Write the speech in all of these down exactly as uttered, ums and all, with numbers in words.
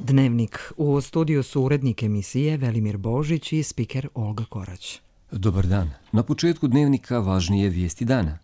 Dnevnik. U studiju su urednik emisije Velimir Božić i spiker Olga Korać. Dobar dan. Na početku Dnevnika važnije vijesti dana.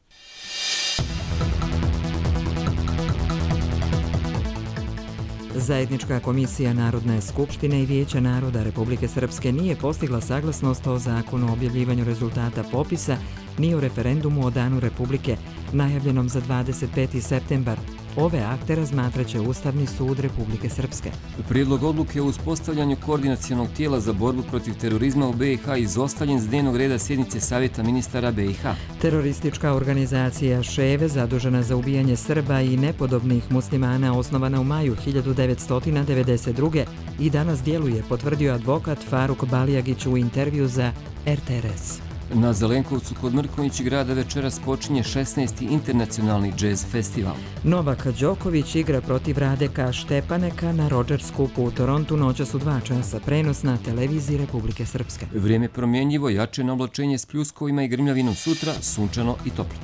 Zajednička komisija Narodne skupštine i Vijeća naroda Republike Srpske nije postigla saglasnost o zakonu o objavljivanju rezultata popisa ni o referendumu o Danu Republike, najavljenom za dvadeset peti septembar. Ove akte razmatraće Ustavni sud Republike Srpske. Prijedlog odluke o uspostavljanju koordinacionog tijela za borbu protiv terorizma u B i H izostavljen s dnevnog reda sjednice Savjeta ministara B i H. Teroristička organizacija Ševe, zadužena za ubijanje Srba i nepodobnih muslimana, osnovana u maju hiljadu devetsto devedeset druge. i danas djeluje, potvrdio advokat Faruk Balijagić u intervju za R T R S. Na Zelenkovcu kod Mrkonjić grada večeras počinje šesnaesti internacionalni džez festival. Novak Đoković igra protiv Radeka Štepaneka na Rogers Cupu u Torontu noćas u dva časa, prenos na televiziji Republike Srpske. Vrijeme promjenjivo, jače na oblačenje s pljuskovima i grmljavinom, sutra sunčano i toplo.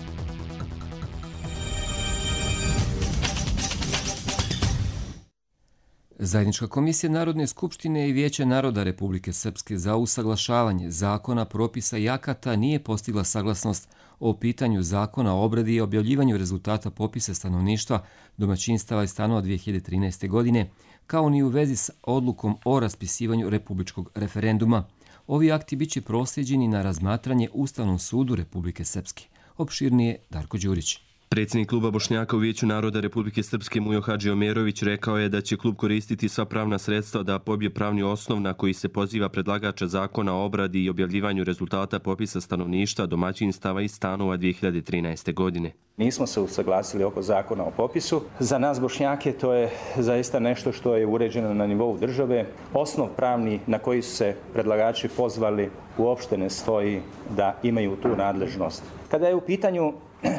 Zajednička komisija Narodne skupštine i Vijeća naroda Republike Srpske za usaglašavanje zakona, propisa i akata nije postigla saglasnost o pitanju zakona o obradi i objavljivanju rezultata popisa stanovništva, domaćinstava i stanova dvije hiljade trinaeste. godine, kao ni u vezi s odlukom o raspisivanju republičkog referenduma. Ovi akti biće prosljeđeni na razmatranje Ustavnom sudu Republike Srpske. Opširnije Darko Đurić. Predsjednik kluba Bošnjaka u Vijeću naroda Republike Srpske Mujo Hadžiomerović rekao je da će klub koristiti sva pravna sredstva da pobije pravni osnov na koji se poziva predlagača zakona o obradi i objavljivanju rezultata popisa stanovništva, domaćinstava i stanova dvije hiljade trinaeste. godine. Nismo se usaglasili oko zakona o popisu. Za nas Bošnjake to je zaista nešto što je uređeno na nivou države. Osnov pravni na koji su se predlagači pozvali uopšte ne stoji da imaju tu nadležnost. Kada je u pitanju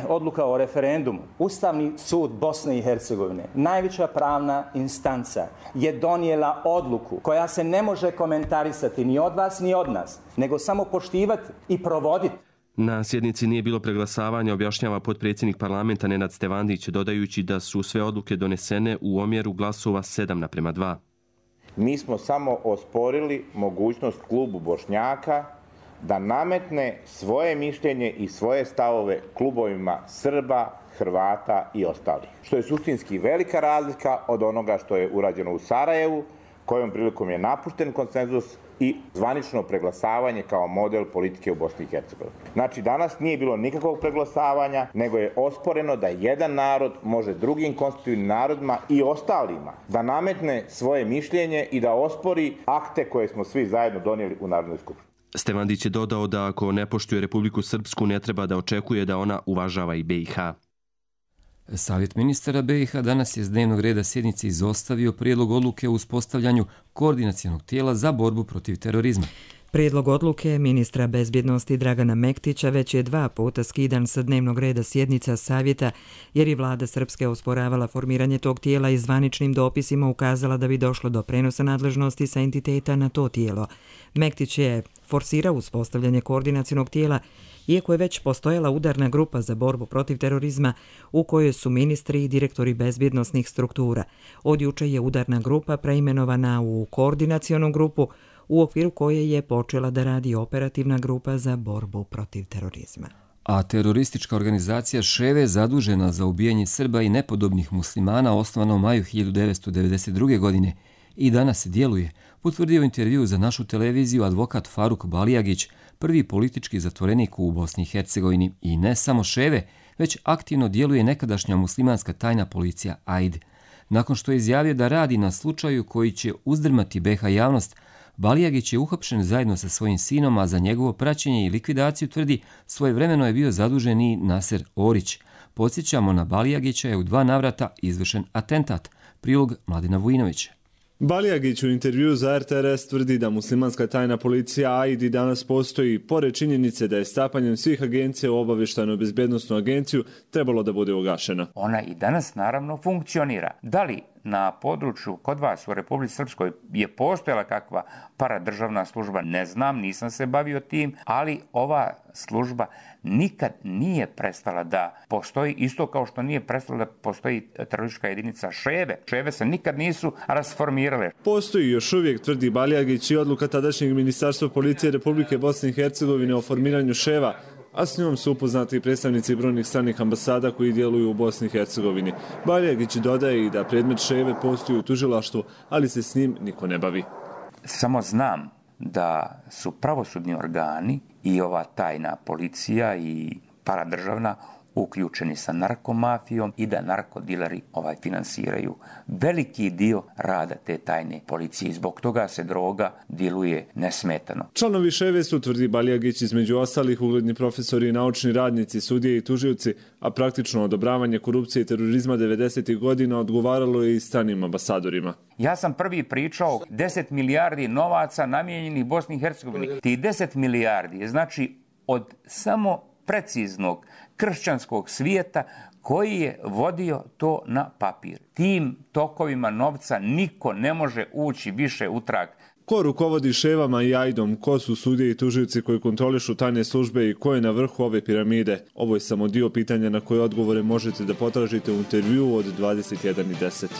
odluka o referendumu, Ustavni sud Bosne i Hercegovine, najveća pravna instanca, je donijela odluku koja se ne može komentarisati ni od vas ni od nas, nego samo poštivati i provoditi. Na sjednici nije bilo preglasavanja, objašnjava potpredsjednik parlamenta Nenad Stevandić, dodajući da su sve odluke donesene u omjeru glasova sedam naprema dva. Mi smo samo osporili mogućnost klubu Bošnjaka da nametne svoje mišljenje i svoje stavove klubovima Srba, Hrvata i ostalih. Što je suštinski velika razlika od onoga što je urađeno u Sarajevu, kojom prilikom je napušten konsenzus i zvanično preglasavanje kao model politike u Bosni i Hercegovini. Znači, danas nije bilo nikakvog preglasavanja, nego je osporeno da jedan narod može drugim konstitutivnim narodima i ostalima da nametne svoje mišljenje i da ospori akte koje smo svi zajedno donijeli u Narodnoj skupštini. Stevandić je dodao da ako ne poštuje Republiku Srpsku, ne treba da očekuje da ona uvažava i B i H. Savjet ministara B i H danas je s dnevnog reda sjednice izostavio prijedlog odluke o uspostavljanju koordinacionog tijela za borbu protiv terorizma. Prijedlog odluke ministra bezbjednosti Dragana Mektića već je dva puta skidan sa dnevnog reda sjednica Savjeta, jer je vlada Srpske osporavala formiranje tog tijela i zvaničnim dopisima ukazala da bi došlo do prenosa nadležnosti sa entiteta na to tijelo. Mektić je forsirao uspostavljanje koordinacionog tijela, iako je već postojala udarna grupa za borbu protiv terorizma u kojoj su ministri i direktori bezbjednosnih struktura. Od juče je udarna grupa preimenovana u koordinacionu grupu, u okviru koje je počela da radi operativna grupa za borbu protiv terorizma. A teroristička organizacija Ševe, zadužena za ubijanje Srba i nepodobnih muslimana, osnovana u maju hiljadu devetsto devedeset druge. godine, i danas djeluje, potvrdio intervju za našu televiziju advokat Faruk Balijagić, prvi politički zatvorenik u Bosni i Hercegovini. I ne samo Ševe, već aktivno djeluje nekadašnja muslimanska tajna policija A I D. Nakon što je izjavio da radi na slučaju koji će uzdrmati B i H javnost, Balijagić je uhapšen zajedno sa svojim sinom, a za njegovo praćenje i likvidaciju, tvrdi, svojevremeno je bio zadužen i Naser Orić. Podsjećamo, na Balijagića je u dva navrata izvršen atentat. Prilog Mladena Vujinovića. Balijagić u intervju za R T R S tvrdi da muslimanska tajna policija A I D danas postoji, pored činjenice da je stapanjem svih agencija u obavještajnu bezbjednosnu agenciju trebalo da bude ugašena. Ona i danas naravno funkcionira. Da li na području kod vas u Republici Srpskoj je postojala kakva paradržavna služba, ne znam, nisam se bavio tim, ali ova služba nikad nije prestala da postoji, isto kao što nije prestala da postoji teroristička jedinica Ševe. Ševe se nikad nisu rasformirale. Postoji još uvijek, tvrdi Baljagić, i odluka tadašnjeg Ministarstva policije Republike Bosne i Hercegovine o formiranju Ševa, a s njom su upoznati i predstavnici brojnih stranih ambasada koji djeluju u Bosni i Hercegovini. Baljagić dodaje i da predmet Ševe postoji u tužilaštvu, ali se s njim niko ne bavi. Samo znam da su pravosudni organi i ova tajna policija i paradržavna uključeni sa narkomafijom i da narkodileri ovaj finansiraju veliki dio rada te tajne policije i zbog toga se droga diluje nesmetano. Članovi Ševe su, tvrdi Baljagić, između ostalih ugledni profesori i naučni radnici, sudije i tužioci, a praktično odobravanje korupcije i terorizma devedesetih godina odgovaralo je i stranim ambasadorima. Ja sam prvi pričao deset milijardi novaca namijenjenih Bosni i Hercegovini. Ti deset milijardi je znači od samo preciznog kršćanskog svijeta koji je vodio to na papir. Tim tokovima novca niko ne može ući više u trag. Ko rukovodi Ševama i Ajdom, ko su sudije i tužioci koji kontrolišu tajne službe i ko je na vrhu ove piramide? Ovo je samo dio pitanja na koje odgovore možete da potražite u intervjuu od dvadeset jedan i deset.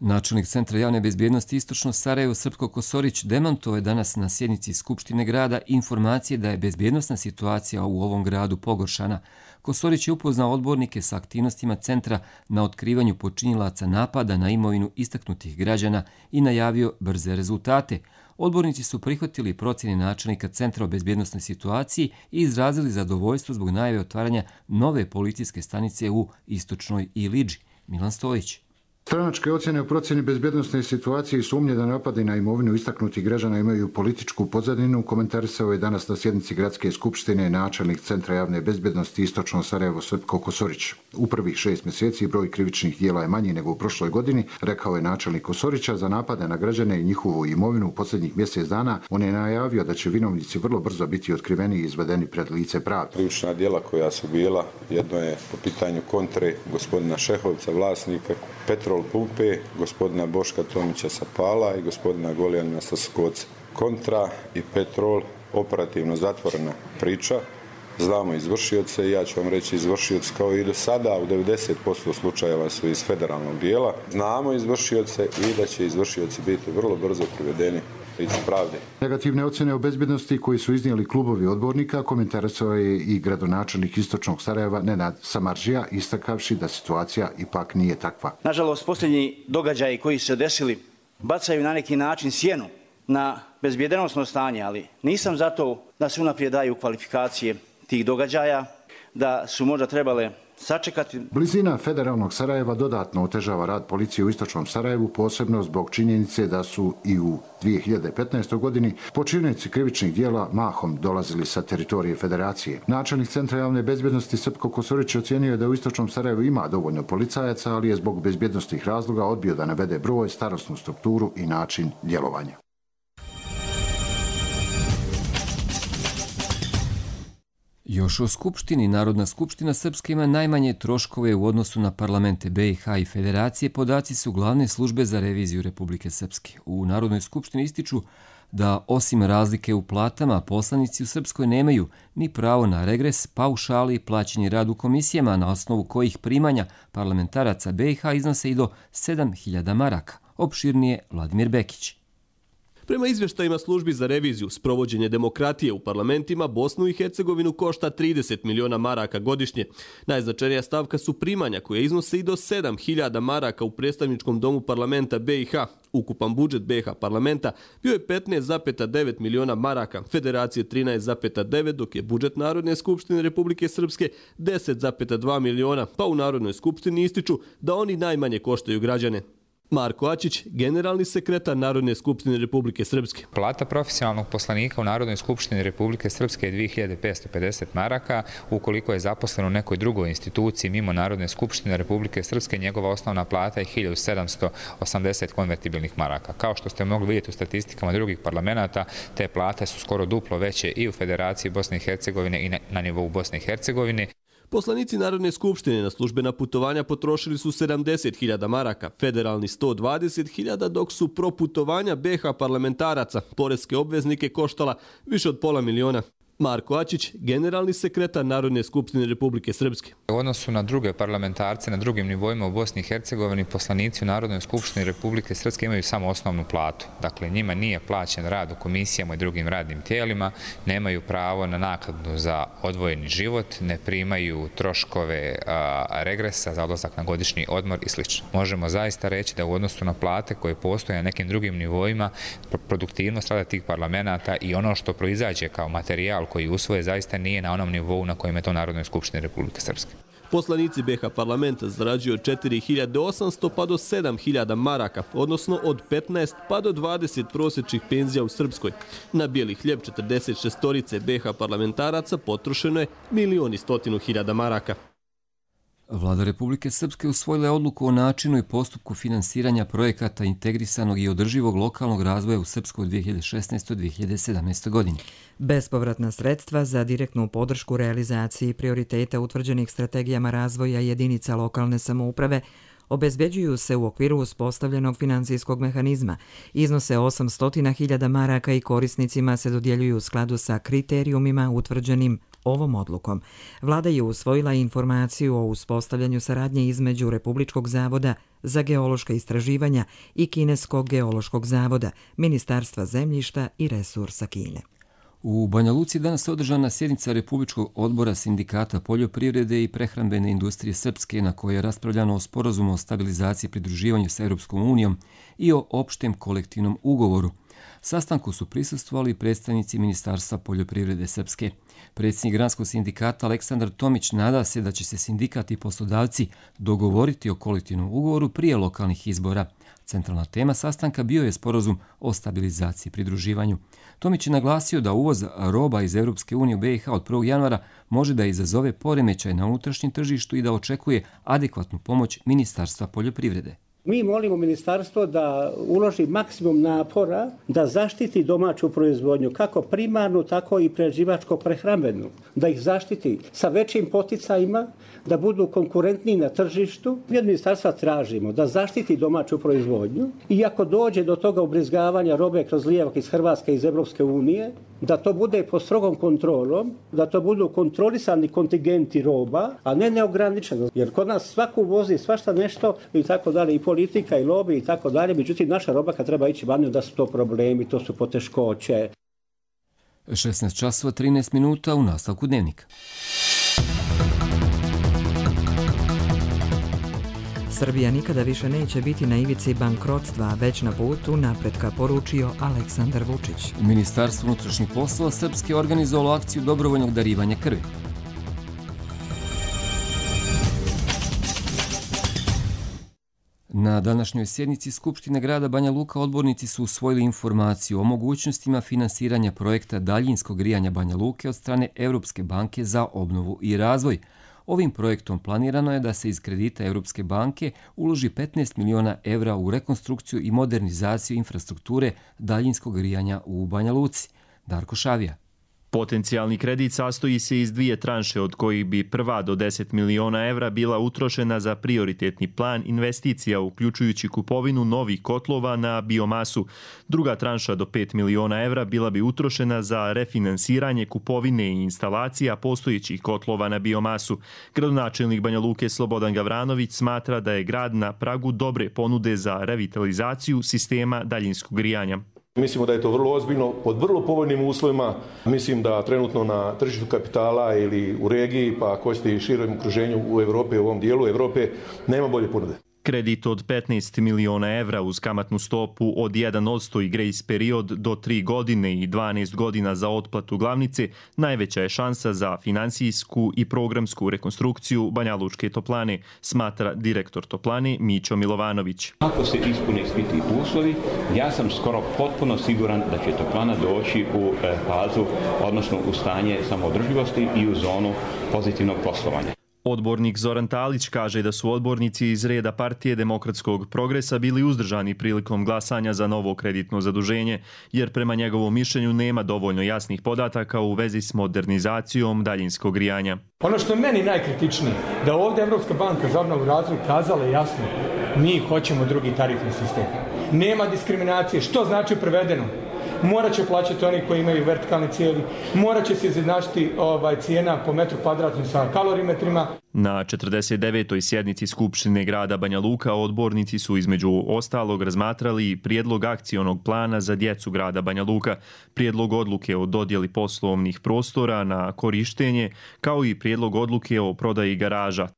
Načelnik Centra javne bezbjednosti Istočno Sarajevo Srpko Kosorić demantovao je danas na sjednici Skupštine grada informacije da je bezbjednosna situacija u ovom gradu pogoršana. Kosorić je upoznao odbornike sa aktivnostima centra na otkrivanju počinilaca napada na imovinu istaknutih građana i najavio brze rezultate. Odbornici su prihvatili procjene načelnika Centra o bezbjednosnoj situaciji i izrazili zadovoljstvo zbog najave otvaranja nove policijske stanice u Istočnoj Ilidži. Milan Stojić. Stranačke ocjene o procjeni bezbjednosne situacije i sumnje da napadi na imovinu istaknutih građana imaju političku pozadinu komentarisao je danas na sjednici Gradske skupštine načelnik Centra javne bezbjednosti Istočno Sarajevo Srpko Kosorić. U prvih šest mjeseci broj krivičnih djela je manji nego u prošloj godini, rekao je načelnik Kosorića. Za napade na građane i njihovu imovinu u posljednjih mjesec dana on je najavio da će vinovnici vrlo brzo biti otkriveni i izvedeni pred lice pravde. Krivična djela koja su bila, jedno je po pitanju kontre gospodina Šehovca, vlasnika Petrol Pumpe, gospodina Boška Tomića Sapala i gospodina Golijanina Staskoca. Kontra i Petrol, operativno zatvorena priča. Znamo izvršioce i ja ću vam reći izvršioci kao i do sada u devedeset posto slučajeva su iz federalnog dijela. Znamo izvršioce i da će izvršioci biti vrlo brzo privedeni licu pravde. Negativne ocjene o bezbjednosti koji su iznijeli klubovi odbornika komentarisao je i gradonačelnik Istočnog Sarajeva Nenad Samardžija, istakavši da situacija ipak nije takva. Nažalost, posljednji događaji koji su se desili bacaju na neki način sjenu na bezbjednosno stanje, ali nisam zato da se unaprijed daju kvalifikacije tih događaja, da su možda trebale sačekati. Blizina federalnog Sarajeva dodatno otežava rad policije u Istočnom Sarajevu, posebno zbog činjenice da su i u dvije hiljade petnaestoj. godini počinioci krivičnih djela mahom dolazili sa teritorije federacije. Načelnik Centra javne bezbjednosti Srpko Kosorić ocjenio je da u Istočnom Sarajevu ima dovoljno policajaca, ali je zbog bezbjednostnih razloga odbio da navede broj, starosnu strukturu i način djelovanja. Još o Skupštini. Narodna skupština Srpske ima najmanje troškove u odnosu na parlamente B i H i Federacije. Podaci su glavne službe za reviziju Republike Srpske. U Narodnoj skupštini ističu da osim razlike u platama, poslanici u Srpskoj nemaju ni pravo na regres, paušali i plaćeni rad u komisijama, na osnovu kojih primanja parlamentaraca B i H iznose i do sedam hiljada maraka. Opširnije Vladimir Bekić. Prema izvještajima službi za reviziju, sprovođenje demokratije u parlamentima Bosnu i Hercegovinu košta trideset miliona maraka godišnje. Najznačajnija stavka su primanja koje iznose i do sedam hiljada maraka u predstavničkom domu parlamenta B i H. Ukupan budžet B i H parlamenta bio je petnaest zarez devet miliona maraka, Federacije trinaest zarez devet, dok je budžet Narodne skupštine Republike Srpske deset zarez dva miliona, pa u Narodnoj skupštini ističu da oni najmanje koštaju građane. Marko Ačić, generalni sekretar Narodne skupštine Republike Srpske. Plata profesionalnog poslanika u Narodnoj skupštini Republike Srpske je dvije hiljade petsto pedeset maraka. Ukoliko je zaposlen u nekoj drugoj instituciji mimo Narodne skupštine Republike Srpske, njegova osnovna plata je hiljadu sedamsto osamdeset konvertibilnih maraka. Kao što ste mogli vidjeti u statistikama drugih parlamenta, te plate su skoro duplo veće i u Federaciji Bosne i Hercegovine i na nivou Bosne i Hercegovine. Poslanici Narodne skupštine na službena putovanja potrošili su sedamdeset hiljada maraka, federalni sto dvadeset hiljada, dok su proputovanja B H parlamentaraca poreske obveznike koštala više od pola miliona. Marko Ačić, generalni sekretar Narodne skupštine Republike Srpske. U odnosu na druge parlamentarce na drugim nivoima u Bosni i Hercegovini, poslanici u Narodnoj skupštini Republike Srpske imaju samo osnovnu platu. Dakle, njima nije plaćen rad u komisijama i drugim radnim tijelima, nemaju pravo na naknadu za odvojeni život, ne primaju troškove a, regresa za odlazak na godišnji odmor i sl. Možemo zaista reći da u odnosu na plate koje postoje na nekim drugim nivoima, produktivnost rada tih parlamenta i ono što proizađe kao materijal koji usvoje zaista nije na onom nivou na kojem je to Narodnoj skupštini Republike Srpske. Poslanici B H parlamenta zarađuju od četiri hiljade osamsto pa do sedam hiljada maraka, odnosno od petnaest pa do dvadeset prosječnih penzija u Srpskoj. Na bijeli hljeb četrdeset šestorice B H parlamentaraca potrošeno je milion i stotinu hiljada maraka. Vlada Republike Srpske usvojila je odluku o načinu i postupku finansiranja projekata integrisanog i održivog lokalnog razvoja u Srpskoj u dvije hiljade šesnaestoj do dvije hiljade sedamnaestoj. godini. Bespovratna sredstva za direktnu podršku realizaciji prioriteta utvrđenih strategijama razvoja jedinica lokalne samouprave obezbeđuju se u okviru uspostavljenog financijskog mehanizma. Iznose osamsto hiljada maraka i korisnicima se dodjeljuju u skladu sa kriterijumima utvrđenim ovom odlukom. Vlada je usvojila informaciju o uspostavljanju saradnje između Republičkog zavoda za geološka istraživanja i Kineskog geološkog zavoda, Ministarstva zemljišta i resursa Kine. U Banja Luci danas je održana sjednica Republičkog odbora Sindikata poljoprivrede i prehrambene industrije Srpske, na kojoj je raspravljano o sporazumu o stabilizaciji i pridruživanju s Europskom unijom i o opštem kolektivnom ugovoru. Sastanku su prisustvovali predstavnici Ministarstva poljoprivrede Srpske. Predsjednik Granskog sindikata Aleksandar Tomić nada se da će se sindikat i poslodavci dogovoriti o kolektivnom ugovoru prije lokalnih izbora. Centralna tema sastanka bio je sporazum o stabilizaciji i pridruživanju. Tomić je naglasio da uvoz roba iz Europske unije u B i H od prvog januara može da izazove poremećaj na unutrašnjem tržištu i da očekuje adekvatnu pomoć Ministarstva poljoprivrede. Mi molimo ministarstvo da uloži maksimum napora da zaštiti domaću proizvodnju, kako primarnu, tako i prerađivačko prehrambenu, da ih zaštiti sa većim poticajima, da budu konkurentniji na tržištu. Mi od ministarstva tražimo da zaštiti domaću proizvodnju i ako dođe do toga ubrizgavanja robe kroz lijevak iz Hrvatske, iz Europske unije, da to bude pod strogom kontrolom, da to budu kontrolisani kontingenti roba, a ne neograničeno. Jer kod nas svaku vozi svašta nešto i tako dalje, i politika i lobby i tako dalje. Međutim, naša roba kad treba ići vani, da su to problemi, to su poteškoće. šesnaest časova trinaest minuta u nastavku dnevnika. Srbija nikada više neće biti na ivici bankrotstva, već na putu napretka, poručio Aleksandar Vučić. Ministarstvo unutrašnjih poslova Srpske organizovalo akciju dobrovoljnog darivanja krvi. Na današnjoj sjednici Skupštine grada Banja Luka odbornici su usvojili informaciju o mogućnostima finansiranja projekta daljinskog grijanja Banja Luke od strane Europske banke za obnovu i razvoj. Ovim projektom planirano je da se iz kredita Europske banke uloži petnaest miliona evra u rekonstrukciju i modernizaciju infrastrukture daljinskog grijanja u Banja Luci. Darko Šavija. Potencijalni kredit sastoji se iz dvije tranše, od kojih bi prva do deset miliona evra bila utrošena za prioritetni plan investicija, uključujući kupovinu novih kotlova na biomasu. Druga tranša do pet miliona evra bila bi utrošena za refinansiranje kupovine i instalacija postojećih kotlova na biomasu. Gradonačelnik Banja Luke Slobodan Gavranović smatra da je grad na pragu dobre ponude za revitalizaciju sistema daljinskog grijanja. Mislimo da je to vrlo ozbiljno, pod vrlo povoljnim uslovima. Mislim da trenutno na tržištu kapitala ili u regiji, pa ako ćete i širem okruženju u Evropi, u ovom dijelu Evrope, nema bolje ponude. Kredit od petnaest miliona evra uz kamatnu stopu od jedan posto i grejs period do tri godine i dvanaest godina za otplatu glavnice najveća je šansa za finansijsku i programsku rekonstrukciju Banja Lučke toplane, smatra direktor toplane Mićo Milovanović. Ako se ispune svi ti uslovi, ja sam skoro potpuno siguran da će toplana doći u fazu, odnosno u stanje samoodrživosti i u zonu pozitivnog poslovanja. Odbornik Zoran Talić kaže da su odbornici iz reda Partije demokratskog progresa bili uzdržani prilikom glasanja za novo kreditno zaduženje, jer prema njegovom mišljenju nema dovoljno jasnih podataka u vezi s modernizacijom daljinskog grijanja. Ono što je meni najkritičnije, da ovdje Evropska banka za obnovu i razvoj kazala jasno, mi hoćemo drugi tarifni sistem. Nema diskriminacije. Što znači prevedeno? Morat će plaćati oni koji imaju vertikalne cijevi, morat će se izjednačiti ovaj, cijena po metru kvadratnom sa kalorimetrima. Na četrdeset devetoj sjednici Skupštine grada Banja Luka odbornici su između ostalog razmatrali prijedlog akcionog plana za djecu grada Banja Luka, prijedlog odluke o dodjeli poslovnih prostora na korištenje, kao i prijedlog odluke o prodaji garaža.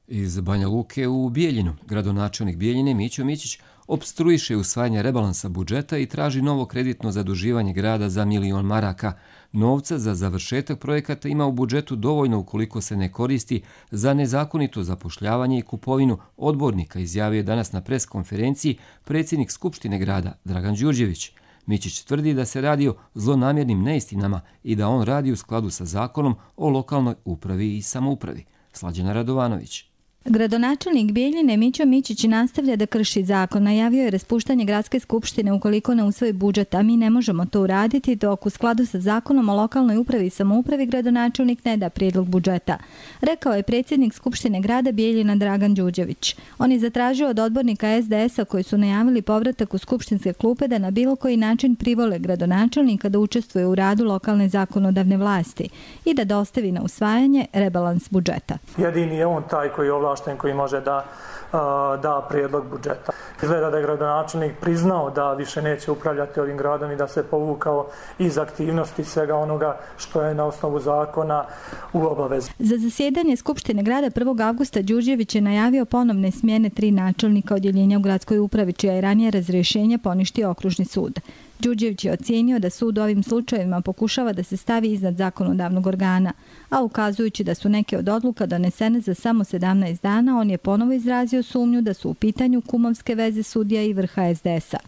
Iz Banja Luke u Bijeljinu, gradonačelnik Bijeljine Mićo Mićić opstruiše usvajanje rebalansa budžeta i traži novo kreditno zaduživanje grada za milion maraka. Novca za završetak projekata ima u budžetu dovoljno ukoliko se ne koristi za nezakonito zapošljavanje i kupovinu odbornika, izjavio je danas na pres konferenciji predsjednik Skupštine grada Dragan Đurđević. Mićić tvrdi da se radi o zlonamjernim neistinama i da on radi u skladu sa zakonom o lokalnoj upravi i samoupravi. Slađana Radovanović. Gradonačelnik Bijeljine Mićo Mićić nastavlja da krši zakon. Najavio je raspuštanje gradske skupštine ukoliko ne usvoji budžet, a mi ne možemo to uraditi dok u skladu sa zakonom o lokalnoj upravi i samoupravi gradonačelnik ne da prijedlog budžeta, rekao je predsjednik Skupštine grada Bijeljina Dragan Đurđević. On je zatražio od odbornika es de es a koji su najavili povratak u skupštinske klupe da na bilo koji način privole gradonačelnika da učestvuje u radu lokalne zakonodavne vlasti i da dostavi na usvajanje rebalans budžeta. Jedini je on taj koji je koji može da da prijedlog budžeta. Izgleda da je gradonačelnik priznao da više neće upravljati ovim gradom i da se povukao iz aktivnosti svega onoga što je na osnovu zakona u obavezi. Za zasjedanje Skupštine grada prvog avgusta Đurđević je najavio ponovne smjene tri načelnika odjeljenja u gradskoj upravi, čija je ranije razrješenje poništio okružni sud. Đurđević je ocijenio da sud u ovim slučajevima pokušava da se stavi iznad zakonodavnog organa, a ukazujući da su neke od odluka donesene za samo sedamnaest dana, on je ponovo izrazio sumnju da su u pitanju kumovske veze sudija i vrha es de es a.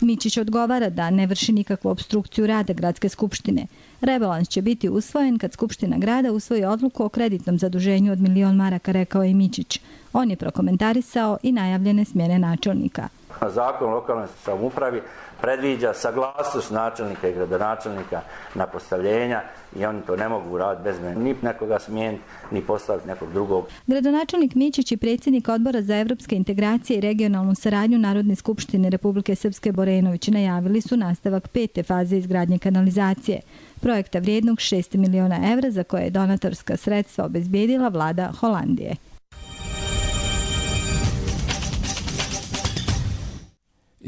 Mićić odgovara da ne vrši nikakvu opstrukciju rada gradske skupštine. Rebalans će biti usvojen kad Skupština grada usvoji odluku o kreditnom zaduženju od milion maraka, rekao je Mićić. On je prokomentarisao i najavljene smjene načelnika. Zakon o lokalnoj samoupravi predviđa saglasnost načelnika i gradonačelnika na postavljenja i oni to ne mogu raditi bez mene, ni nekoga smijeniti, ni postaviti nekog drugog. Gradonačelnik Mićić i predsjednik Odbora za evropske integracije i regionalnu saradnju Narodne skupštine Republike Srpske Borenović najavili su nastavak pete faze izgradnje kanalizacije, projekta vrijednog šest miliona evra za koje je donatorska sredstva obezbijedila vlada Holandije.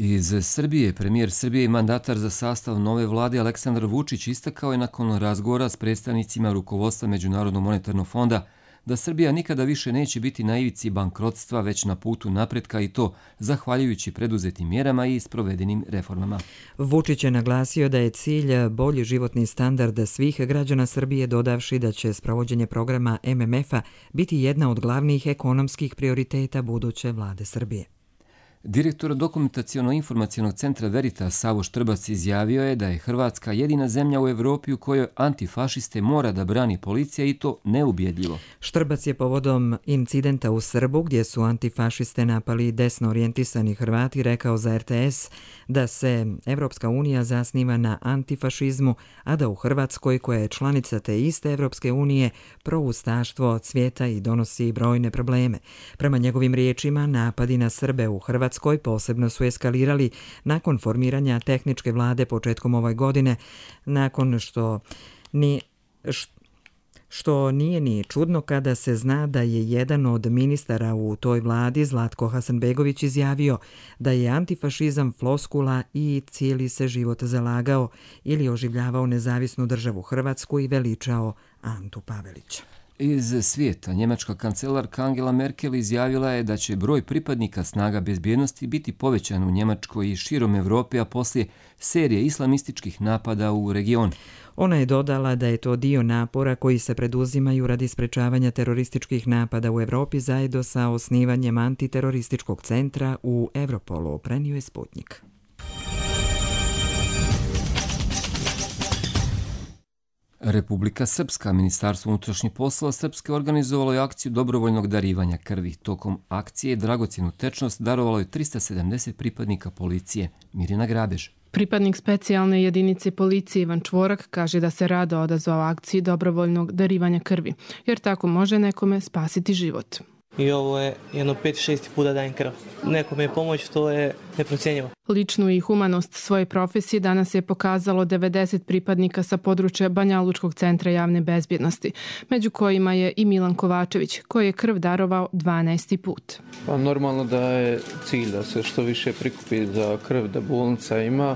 Iz Srbije, premijer Srbije i mandatar za sastav nove vlade Aleksandar Vučić istakao je nakon razgovora s predstavnicima rukovodstva Međunarodnog monetarnog fonda da Srbija nikada više neće biti na ivici bankrotstva, već na putu napretka i to zahvaljujući preduzetim mjerama i sprovedenim reformama. Vučić je naglasio da je cilj bolji životni standard svih građana Srbije, dodavši da će sprovođenje programa em em ef a biti jedna od glavnih ekonomskih prioriteta buduće vlade Srbije. Direktor dokumentaciono-informacionog centra Veritas Savo Štrbac izjavio je da je Hrvatska jedina zemlja u Evropi u kojoj antifašiste mora da brani policija i to neubjedljivo. Štrbac je povodom incidenta u Srbu gdje su antifašiste napali desno orijentisani Hrvati rekao za er te es da se Evropska unija zasniva na antifašizmu, a da u Hrvatskoj, koja je članica te iste Evropske unije, proustaštvo cvjeta i donosi brojne probleme. Prema njegovim riječima, napadi na Srbe u Hrvatskoj Hrvatskoj posebno su eskalirali nakon formiranja tehničke vlade početkom ove godine, nakon što ni što nije ni čudno kada se zna da je jedan od ministara u toj vladi, Zlatko Hasanbegović, izjavio da je antifašizam floskula i cijeli se život zalagao ili oživljavao nezavisnu državu Hrvatsku i veličao Antu Pavelića. Iz svijeta, njemačka kancelarka Angela Merkel izjavila je da će broj pripadnika snaga bezbjednosti biti povećan u Njemačkoj i širom Evrope, a poslije serije islamističkih napada u regionu. Ona je dodala da je to dio napora koji se preduzimaju radi sprečavanja terorističkih napada u Evropi zajedno sa osnivanjem antiterorističkog centra u Europolu, prenio je Sputnik. Republika Srpska, Ministarstvo unutrašnjih poslova Srpske organizovalo je akciju dobrovoljnog darivanja krvi. Tokom akcije dragocjenu tečnost darovalo je trista sedamdeset pripadnika policije. Mirjana Grabež. Pripadnik specijalne jedinice policije Ivan Čvorak kaže da se rado odazvao akciji dobrovoljnog darivanja krvi, jer tako može nekome spasiti život. I ovo je jedno pet šest puta dajem krv. Nekome je pomoć, to je neprocjenjivo. Ličnu i humanost svoje profesije danas je pokazalo devedeset pripadnika sa područja Banjalučkog centra javne bezbjednosti, među kojima je i Milan Kovačević, koji je krv darovao dvanaesti put. Pa normalno da je cilj da se što više prikupi za krv, da bolnica ima,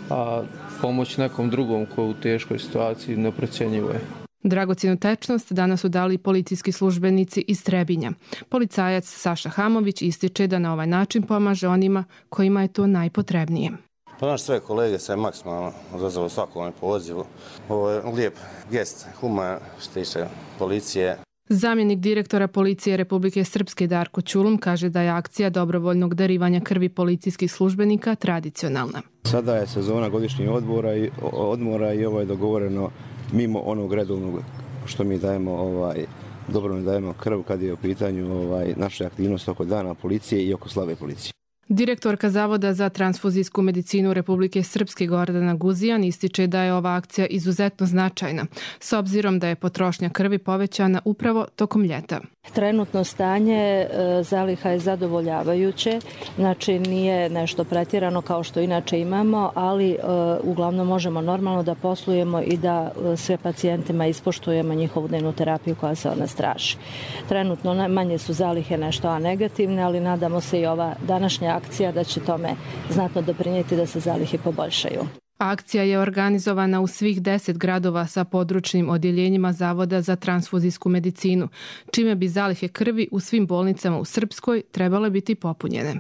a pomoć nekom drugom ko u teškoj situaciji neprocjenjivo je. Dragocjenu tečnost danas su dali policijski službenici iz Trebinja. Policajac Saša Hamović ističe da na ovaj način pomaže onima kojima je to najpotrebnije. Pa naš sve kolege se maksimalno odazvalo svakom pozivu. Ovo je lijep gest, human što tiče policije. Zamjenik direktora policije Republike Srpske Darko Ćulum kaže da je akcija dobrovoljnog darivanja krvi policijskih službenika tradicionalna. Sada je sezona godišnjih odmora i, odmora i ovo je dogovoreno mimo onog redovnog što mi dajemo, ovaj, dobrovoljno dajemo krv kad je u pitanju ovaj, naše aktivnosti oko dana policije i oko slave policije. Direktorka Zavoda za transfuzijsku medicinu Republike Srpske Gordana Guzijan ističe da je ova akcija izuzetno značajna, s obzirom da je potrošnja krvi povećana upravo tokom ljeta. Trenutno stanje zaliha je zadovoljavajuće, znači nije nešto pretjerano kao što inače imamo, ali uglavnom možemo normalno da poslujemo i da sve pacijentima ispoštujemo njihovu dnevnu terapiju koja se od nas traži. Trenutno manje su zalihe nešto A negativne, ali nadamo se i ova današnja akcija da će tome znatno doprinijeti da se zalihe poboljšaju. Akcija je organizovana u svih deset gradova sa područnim odjeljenjima Zavoda za transfuzijsku medicinu, čime bi zalihe krvi u svim bolnicama u Srpskoj trebale biti popunjene.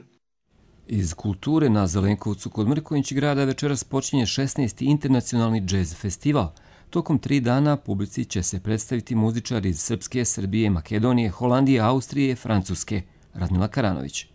Iz kulture na Zelenkovcu kod Mrkonjić grada večeras počinje šesnaesti internacionalni džez festival. Tokom tri dana publici će se predstaviti muzičari iz Srpske, Srbije, Makedonije, Holandije, Austrije i Francuske. Radmila Karanović.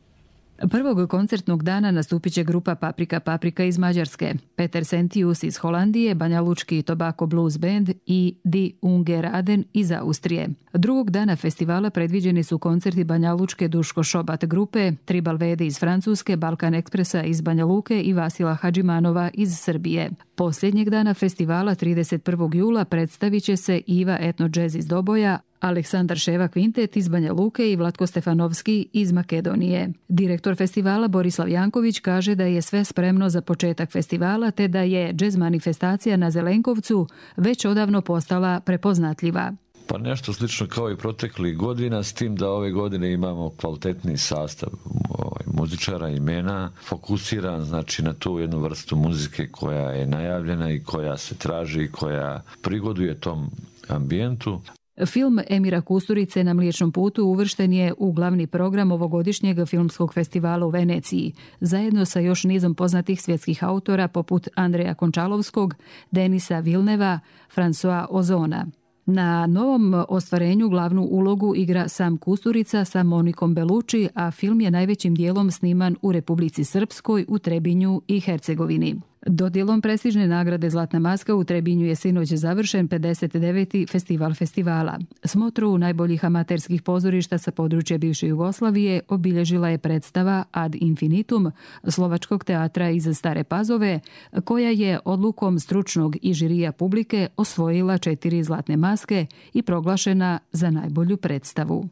Prvog koncertnog dana nastupit će grupa Paprika Paprika iz Mađarske, Peter Sentius iz Holandije, Banjalučki Tobacco Blues Band i Die Ungeraden iz Austrije. Drugog dana festivala predviđeni su koncerti Banjalučke Duško Šobat grupe, Tribal Vede iz Francuske, Balkan Ekspresa iz Banja Luke i Vasila Hadžimanova iz Srbije. Posljednjeg dana festivala trideset prvog jula predstavit će se Iva Etno Jazz iz Doboja, Aleksandar Ševa Kvintet iz Banja Luke i Vlatko Stefanovski iz Makedonije. Direktor festivala Borislav Janković kaže da je sve spremno za početak festivala te da je džez manifestacija na Zelenkovcu već odavno postala prepoznatljiva. Pa nešto slično kao i proteklih godina, s tim da ove godine imamo kvalitetni sastav ovaj, muzičara, imena, fokusiran znači na tu jednu vrstu muzike koja je najavljena i koja se traži i koja prigoduje tom ambijentu. Film Emira Kusturice Na Mliječnom putu uvršten je u glavni program ovogodišnjeg filmskog festivala u Veneciji, zajedno sa još nizom poznatih svjetskih autora poput Andreja Končalovskog, Denisa Vilneva, François Ozona. Na novom ostvarenju glavnu ulogu igra sam Kusturica sa Monikom Belucci, a film je najvećim dijelom sniman u Republici Srpskoj, u Trebinju i Hercegovini. Dodjelom prestižne nagrade Zlatna maska u Trebinju je sinoć završen pedeset deveti festival festivala. Smotru najboljih amaterskih pozorišta sa područja bivše Jugoslavije obilježila je predstava Ad infinitum Slovačkog teatra iz Stare Pazove, koja je odlukom stručnog i žirija publike osvojila četiri zlatne maske i proglašena za najbolju predstavu.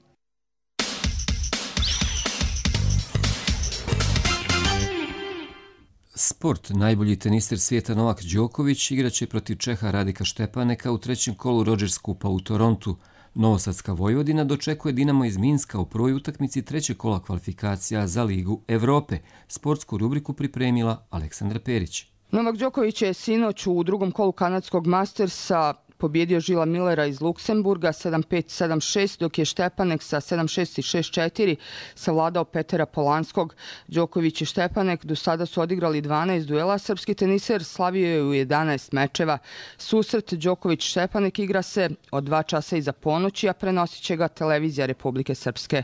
Sport. Najbolji teniser svijeta Novak Đoković igraće protiv Čeha Radika Štepaneka u trećem kolu Rogers Kupa u Torontu. Novosadska Vojvodina dočekuje Dinamo iz Minska u prvoj utakmici trećeg kola kvalifikacija za Ligu Evrope. Sportsku rubriku pripremila Aleksandra Perić. Novak Đoković je sinoć u drugom kolu kanadskog Mastersa pobjedio Žila Millera iz Luksemburga sedam pet sedam šest, dok je Štepanek sa sedam šest i šest četiri savladao Petera Polanskog. Đoković i Štepanek do sada su odigrali dvanaest duela. Srpski teniser slavio je u jedanaest mečeva. Susret Đoković-Štepanek igra se od dva časa iza ponoći, a prenosit će ga televizija Republike Srpske.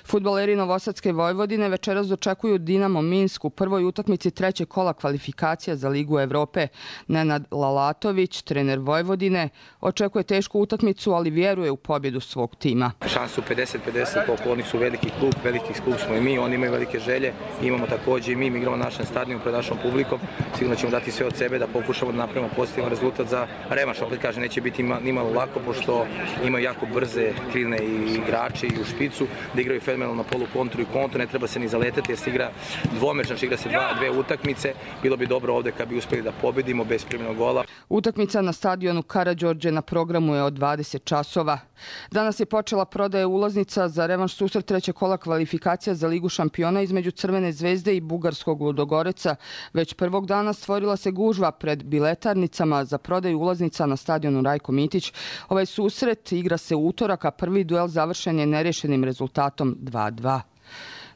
Fudbaleri Novosadske Vojvodine večeras dočekuju Dinamo Minsk u prvoj utakmici trećeg kola kvalifikacija za Ligu Evrope. Nenad Lalatović, trener Vojvodine, Očekuje tešku utakmicu, ali vjeruje u pobjedu svog tima. Šansu pedeset pedeset, koliko oni su veliki klub, veliki klub smo i mi, oni imaju velike želje, imamo također i mi, mi igramo na našem stadionu pred našom publikom, sigurno ćemo dati sve od sebe da pokušamo da napravimo pozitivan rezultat za revanš. Opet kaže, neće biti nimalo lako, pošto imaju jako brze krilne i igrači i u špicu, da igraju fenomenalno na polu kontru i kontru, ne treba se ni zaletati jer se igra dvomeč, znači igra se dva, dve utakmice, bilo bi dobro ovdje kad bi uspjeli da pobedimo bez primljenog gola. Utakmica na stadionu Karađorđe na programu je od dvadeset časova. Danas je počela prodaja ulaznica za revanš susret trećeg kola kvalifikacija za Ligu šampiona između Crvene zvezde i bugarskog Ludogoreca. Već prvog dana stvorila se gužva pred biletarnicama za prodaju ulaznica na stadionu Rajko Mitić. Ovaj susret igra se u utorak, a prvi duel završen je nerješenim rezultatom dva dva.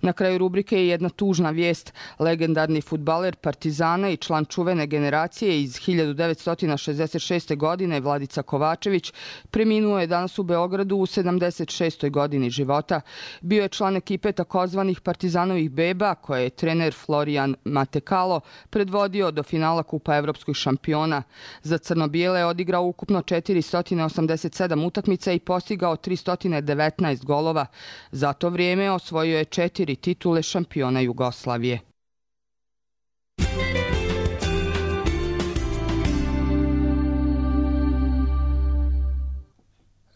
Na kraju rubrike je jedna tužna vijest. Legendarni fudbaler Partizana i član čuvene generacije iz hiljadu devetsto šezdeset šeste. godine Vladica Kovačević preminuo je danas u Beogradu u sedamdeset šestoj. godini života. Bio je član ekipe takozvanih Partizanovih beba koje je trener Florian Matekalo predvodio do finala Kupa evropskih šampiona. Za crno-bijele je odigrao ukupno četiristo osamdeset sedam utakmica i postigao tristo devetnaest golova. Za to vrijeme osvojio je četiri titule šampiona Jugoslavije.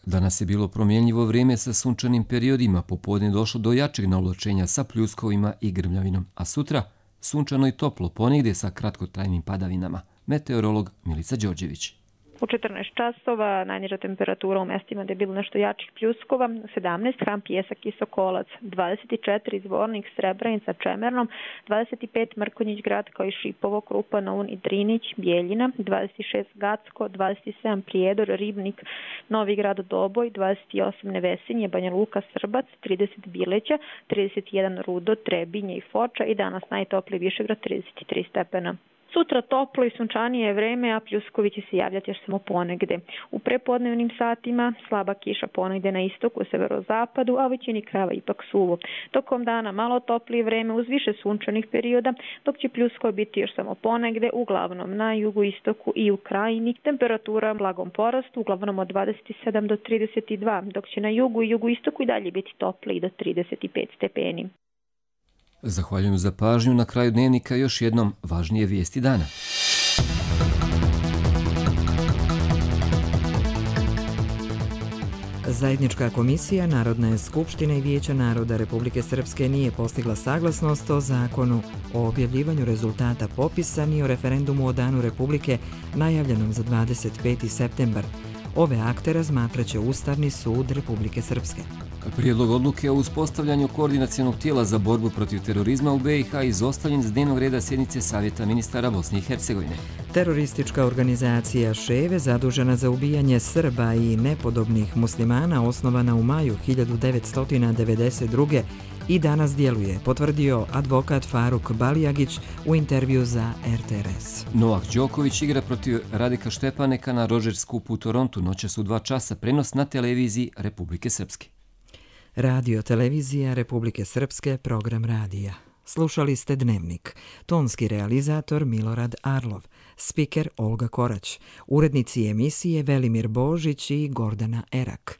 Danas je bilo promjenjivo vrijeme sa sunčanim periodima, popodne došlo do jačeg navlačenja sa pljuskovima i grmljavinom, a sutra sunčano i toplo, ponegdje sa kratkotrajnim padavinama. Meteorolog Milica Đorđević. U četrnaest časova najniža temperatura u mestima gdje je bilo nešto jačih pljuskova, sedamnaest Hram, Pjesak i Sokolac, dvadeset četiri Zvornik, Srebrenica, Čemernom, dvadeset pet Mrkonjić Grad kao i Šipovo, Krupa, Noun i Drinić, Bijeljina, dvadeset šest Gacko, dvadeset sedam Prijedor, Ribnik, Novi Grad, Doboj, dvadeset osam Nevesinje, Banja Luka, Srbac, trideset Bileća, trideset jedan Rudo, Trebinje i Foča i danas najtopliji Višegrad trideset tri stepena. Sutra toplo i sunčanije vreme, a pljuskovi će se javljati još samo ponegde. U prepodnevnim satima slaba kiša ponegde na istoku, severozapadu, a u većini krajeva ipak suvo. Tokom dana malo toplije vreme uz više sunčanih perioda, dok će pljuskovi biti još samo ponegde, uglavnom na jugoistoku i u krajini. Temperatura blagom porastu, uglavnom od dvadeset sedam do trideset dva, dok će na jugu i jugoistoku i dalje biti topliji do trideset pet stepeni. Zahvaljujem za pažnju. Na kraju dnevnika još jednom važnije vijesti dana. Zajednička komisija Narodne skupštine i Vijeća naroda Republike Srpske nije postigla saglasnost o zakonu o objavljivanju rezultata popisa ni o referendumu o Danu Republike najavljenom za dvadeset peti septembar. Ove akte razmatraće Ustavni sud Republike Srpske. Prijedlog odluke o uspostavljanju koordinacionog tijela za borbu protiv terorizma u be i ha izostavljen s dnevnog reda sjednice Savjeta ministara Bosne i Hercegovine. Teroristička organizacija Ševe, zadužena za ubijanje Srba i nepodobnih muslimana, osnovana u maju hiljadu devetsto devedeset druge. i danas djeluje, potvrdio advokat Faruk Balijagić u intervju za er te er es. Novak Đoković igra protiv Radika Štepaneka na Rogers Cupu u Torontu. Noćas u dva časa prenos na televiziji Republike Srpske. Radio televizija Republike Srpske, program radija. Slušali ste Dnevnik. Tonski realizator Milorad Arlov, spiker Olga Korać, urednici emisije Velimir Božić i Gordana Erak.